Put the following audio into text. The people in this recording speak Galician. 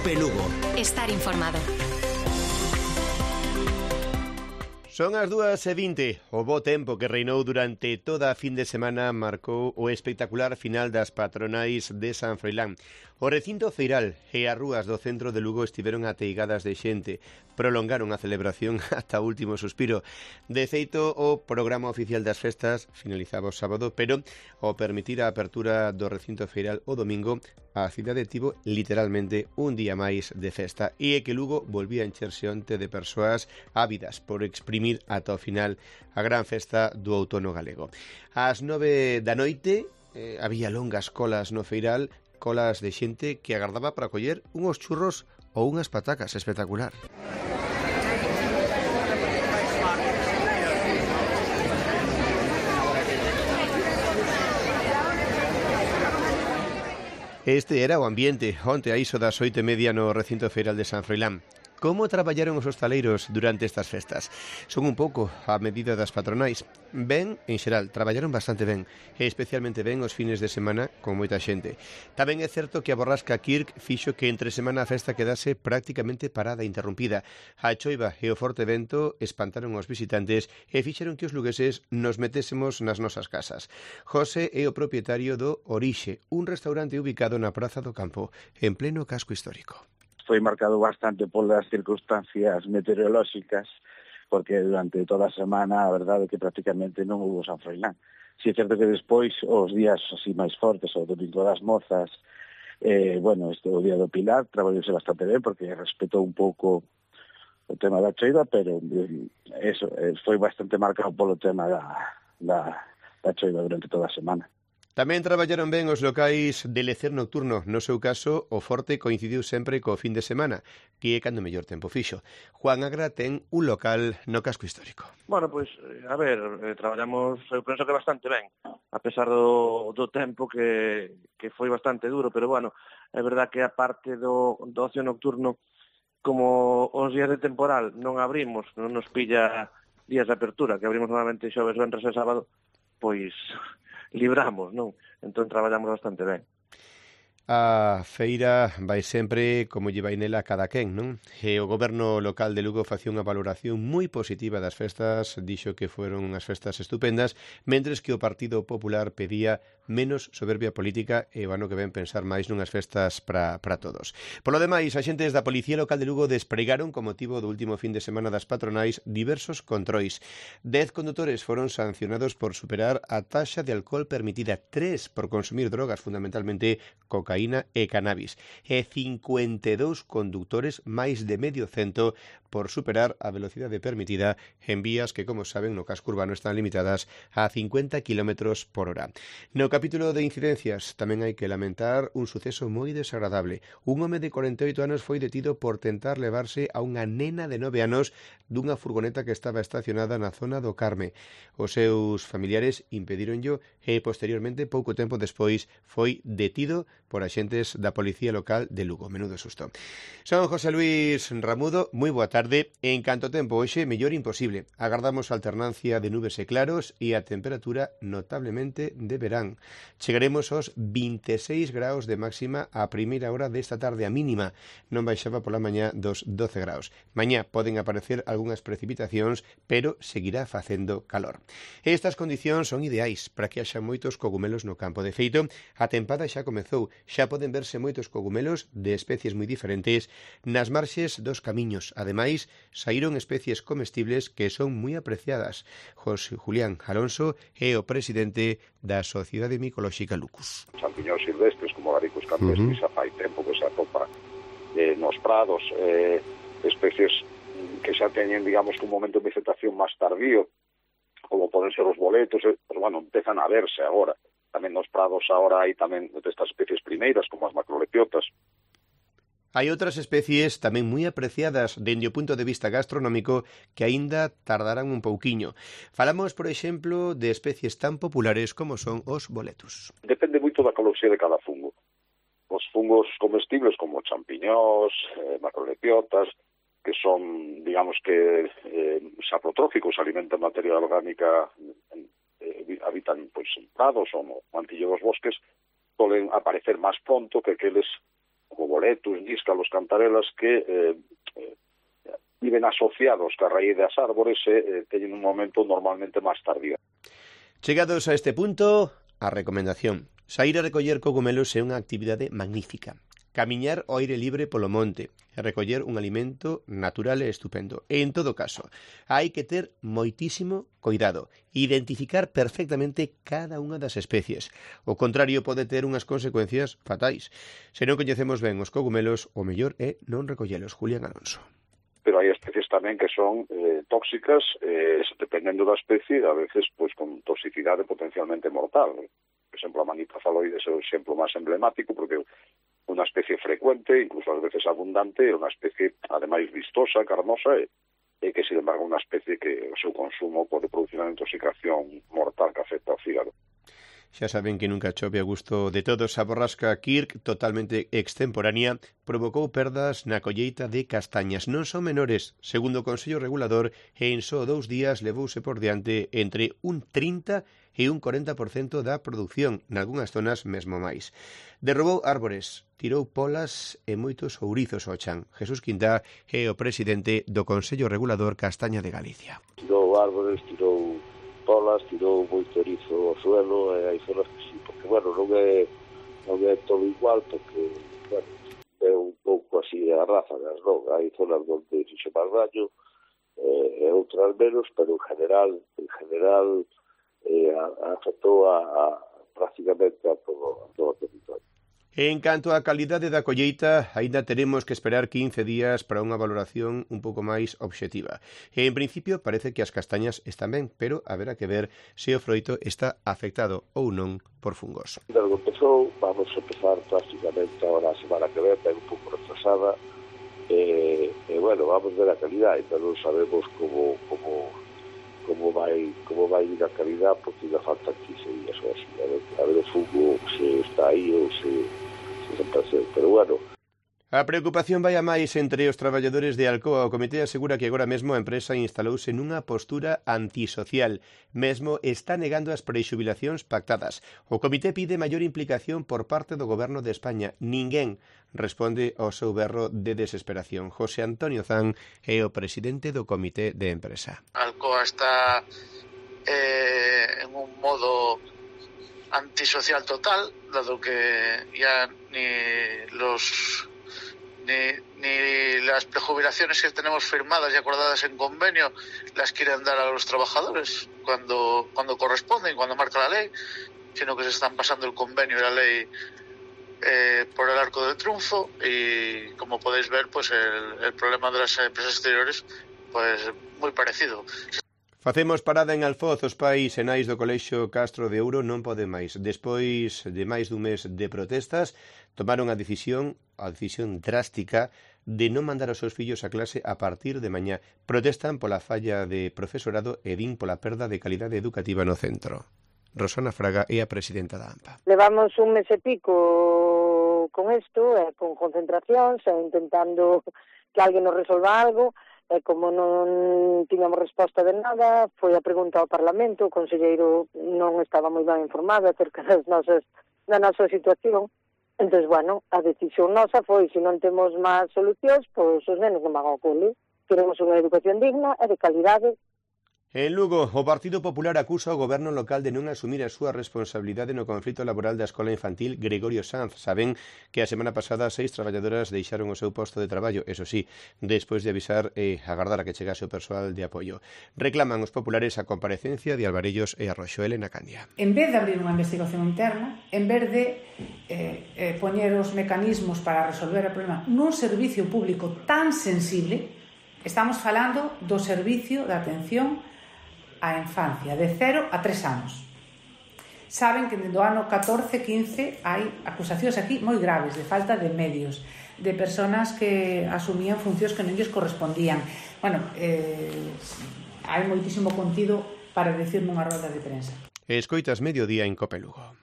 Cope Lugo. Estar informado. Son as 2:20. O bo tempo que reinou durante toda a fin de semana marcou o espectacular final das patronais de San Froilán. O recinto feiral e as rúas do centro de Lugo estiveron ateigadas de xente. Prolongaron a celebración ata o último suspiro. De feito, o programa oficial das festas finalizaba o sábado, pero ao permitir a apertura do recinto feiral o domingo, a cidade tivo literalmente un día máis de festa, e é que Lugo volvía a encherse onte de persoas ávidas por exprimir ata o final a gran festa do outono galego. Ás 9 da noite había longas colas no feiral, colas de xente que agardaba para coller unhos churros ou unhas patacas. Espectacular. Este era o ambiente onte a iso das 8:30 no recinto feiral de San Froilán. Como traballaron os hostaleiros durante estas festas? Son un pouco a medida das patronais. Ben, en xeral, traballaron bastante ben, e especialmente ben os fines de semana con moita xente. Tamén é certo que a borrasca Kirk fixo que entre semana a festa quedase prácticamente parada e interrumpida. A choiva e o forte vento espantaron os visitantes e fixeron que os lugueses nos metésemos nas nosas casas. José é o propietario do Orixe, un restaurante ubicado na Praza do Campo, en pleno casco histórico. Foi marcado bastante polas circunstancias meteorolóxicas, porque durante toda a semana a verdade é que prácticamente non houve San Froilán. Si é certo que despois, os días así máis fortes, o domingo das mozas, o día do Pilar, traballouse bastante ben, porque respetou un pouco o tema da choiva, pero eso foi bastante marcado polo tema da choiva durante toda a semana. Tamén traballaron ben os locais de lecer nocturno. No seu caso, o forte coincidiu sempre co fin de semana, que é cando mellor tempo fixo. Juan Agra ten un local no casco histórico. Bueno, pois, a ver, traballamos, eu penso que bastante ben, a pesar do tempo que foi bastante duro, pero bueno, é verdad que a parte do ocio nocturno, como os días de temporal non abrimos, non nos pilla días de apertura, que abrimos normalmente xoves, venres e sábado, pois libramos, non? Entón traballamos bastante ben. A feira vai sempre como lle vai nela cada quen, non? E o goberno local de Lugo facía unha valoración moi positiva das festas, dixo que foron unhas festas estupendas, mentres que o Partido Popular pedía menos soberbia política e o ano que ven pensar máis nunhas festas para todos. Polo demais, axentes da Policía Local de Lugo despregaron, con motivo do último fin de semana das patronais, diversos controis. 10 condutores foron sancionados por superar a taxa de alcohol permitida, 3 por consumir drogas, fundamentalmente cocaína e cannabis, e 52 conductores, máis de medio cento, por superar a velocidade permitida en vías que, como saben, no casco urbano están limitadas a 50 km por hora. No capítulo de incidencias tamén hai que lamentar un suceso moi desagradable. Un home de 48 anos foi detido por tentar levarse a unha nena de 9 anos dunha furgoneta que estaba estacionada na zona do Carme. Os seus familiares impedíronllo e posteriormente, pouco tempo despois, foi detido por axentes da Policía Local de Lugo. Menudo susto. Son José Luis Ramudo, moi boa tarde. En canto tempo hoxe, mellor imposible. Agardamos alternancia de nubes e claros e a temperatura notablemente de verán. Chegaremos aos 26 graus de máxima a primeira hora desta tarde. A mínima non baixaba pola mañá dos 12 graus. Mañá poden aparecer algunhas precipitacións, pero seguirá facendo calor. Estas condicións son ideais para que haxa moitos cogumelos no campo. De feito, a tempada xa comezou. Xa poden verse moitos cogumelos de especies moi diferentes nas marxes dos camiños. Ademais, saíron especies comestibles que son moi apreciadas. José Julián Alonso é o presidente da Sociedade Micolóxica Lucus. Champiñóns silvestres como Garicus campestris xa fai tempo que se atopa nos prados, especies que xa teñen, digamos, un momento de vegetación máis tardío, como poden ser os boletos, pero bueno, empezan a verse agora. Tamén nos prados agora hai tamén destas especies primeiras, como as macrolepiotas. Hai outras especies tamén moi apreciadas dende o punto de vista gastronómico que aínda tardarán un pouquiño. Falamos, por exemplo, de especies tan populares como son os boletus. Depende moito da ecoloxía de cada fungo. Os fungos comestibles como champiñós, macrolepiotas, que son, digamos que, saprotróficos, alimentan materia orgánica, habitan pois en prados ou no mantillo dos bosques, poden aparecer máis pronto que aqueles como boletos, níscalos, cantarelas que viven asociados ca raíz das árbores e teñen un momento normalmente máis tardío. Chegados a este punto, a recomendación. Saír a recoller cogumelos é unha actividade magnífica. Camiñar ao aire libre polo monte e recoller un alimento natural e estupendo. E, en todo caso, hai que ter moitísimo cuidado, identificar perfectamente cada unha das especies. O contrario pode ter unhas consecuencias fatais. Se non coñecemos ben os cogumelos, o mellor é non recollelos. Julián Alonso. Pero hai especies tamén que son tóxicas, dependendo da especie, a veces pues con toxicidade potencialmente mortal. Por exemplo, a manita faloides é o exemplo máis emblemático, porque unha especie frecuente, incluso ás veces abundante, é unha especie, ademais, vistosa, carnosa, e que, sin embargo, unha especie que o seu consumo pode producir unha intoxicación mortal que afecta ao fígado. Xa saben que nunca chove a gusto de todos. A borrasca Kirk, totalmente extemporánea, provocou perdas na colleita de castañas. Non son menores, segundo o Consello Regulador, e en só 2 días levouse por diante entre un 30% e un 40% da produción, nalgúnas zonas mesmo máis. Derrubou árbores, tirou polas e moitos ourizos ao chan. Jesús Quintá é o presidente do Consello Regulador Castaña de Galicia. Tirou árbores, tirou polas, tirou moito erizo ao suelo, e hai zonas que sí, porque, bueno, non é todo igual, porque, bueno, é un pouco así a ráfagas, non? Hai zonas onde fixo máis daño, e outras menos, pero en general afectou prácticamente a todo o territorio. En canto á calidade da colleita, aínda teremos que esperar 15 días para unha valoración un pouco máis obxectiva. E, en principio, parece que as castañas están ben, pero haberá que ver se o froito está afectado ou non por fungos. Desde que empezou, vamos a empezar prácticamente ahora a semana que ven, un pouco retrasada, e bueno, vamos ver a calidad, ainda non sabemos como vai ir a calidad, porque ainda faltan 15 días ou así, a ver o fungo se está aí ou se desapareceu, pero bueno. A preocupación vai a máis entre os traballadores de Alcoa. O comité asegura que agora mesmo a empresa instalouse nunha postura antisocial. Mesmo está negando as prexubilacións pactadas. O comité pide maior implicación por parte do Goberno de España. Ninguén responde ao seu berro de desesperación. José Antonio Zan é o presidente do comité de empresa. Alcoa está en un modo antisocial total, dado que ya ni las prejubilaciones que tenemos firmadas y acordadas en convenio las quieren dar a los trabajadores cuando corresponde y cuando marca la ley, sino que se están pasando el convenio y la ley por el arco del triunfo, y como podéis ver, pues el problema de las empresas exteriores pues muy parecido. Facemos parada en Alfoz. Os pais e nais do Colexio Castro de Ouro non poden máis. Despois de máis dun mes de protestas, tomaron a decisión drástica de non mandar os seus fillos a clase a partir de mañá. Protestan pola falla de profesorado e din pola perda de calidade educativa no centro. Rosana Fraga é a presidenta da AMPA. Levamos un mes e pico con isto, con concentracións, intentando que alguén nos resolva algo. E como non tiñamos resposta de nada, foi a pregunta ao Parlamento, o conselleiro non estaba moi ben informado acerca da nosa situación. Entón, bueno, a decisión nosa foi, se non temos máis solucións, pois os nenos non van ao cole. Queremos unha educación digna e de calidade. En Lugo, o Partido Popular acusa o goberno local de non asumir a súa responsabilidade no conflito laboral da escola infantil Gregorio Sanz. Saben que a semana pasada 6 traballadoras deixaron o seu posto de traballo, eso sí, despois de avisar e agardar a que chegase o persoal de apoio. Reclaman os populares a comparecencia de Alvarellos e Arroxo. Elena Candia. En vez de abrir unha investigación interna, en vez de poñer os mecanismos para resolver o problema nun servicio público tan sensible, estamos falando do servicio de atención a infancia, de 0 a 3 anos. Saben que do ano 14-15 hai acusacións aquí moi graves de falta de medios, de persoas que asumían funcións que non lles correspondían. Bueno, hai moitísimo contido para decir nunha roda de prensa. Escoitas Mediodía en Cope Lugo.